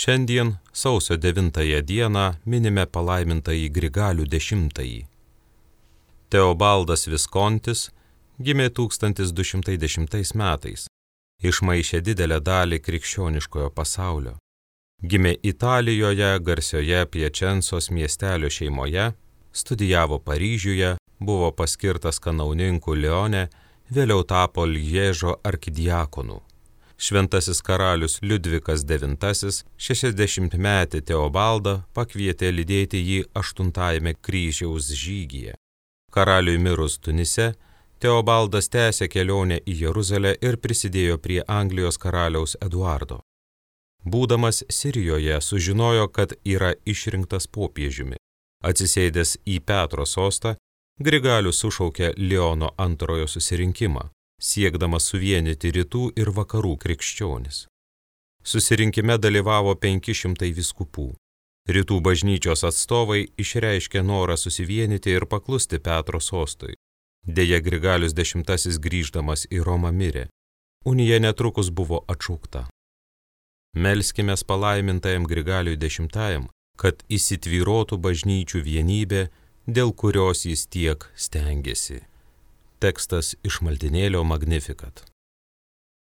Šiandien, sausio 9 dieną, minime palaimintąjį Grigalių X. Teobaldas Viskontis gimė 1210 metais, išmaišė didelę dalį krikščioniškojo pasaulio. Gimė Italijoje, garsioje Piačensos miestelio šeimoje, studijavo Paryžiuje, buvo paskirtas kanauninku Lione, vėliau tapo Lježo arkidiakonu. Šventasis karalius Liudvikas IX 60-metį Teobaldą pakvietė lydėti jį 8 kryžiaus žygyje. Karaliui mirus Tunise, Teobaldas tęsė kelionę į Jeruzalę ir prisidėjo prie Anglijos karaliaus Eduardo. Būdamas Sirijoje sužinojo, kad yra išrinktas popiežiumi. Atsisėdęs į Petro sostą, Grigalius sušaukė Leono II susirinkimą, siekdamas suvienyti rytų ir vakarų krikščionis. Susirinkime dalyvavo 500 vyskupų. Rytų bažnyčios atstovai išreiškė norą susivienyti ir paklusti Petro sostui. Deja, Grigalius X grįždamas į Romą mirė. Unija netrukus buvo atšaukta. Melskimės palaimintajam Grigaliui X, kad įsitvyrotų bažnyčių vienybė, dėl kurios jis tiek stengėsi. Tekstas iš maldinėlio Magnificat.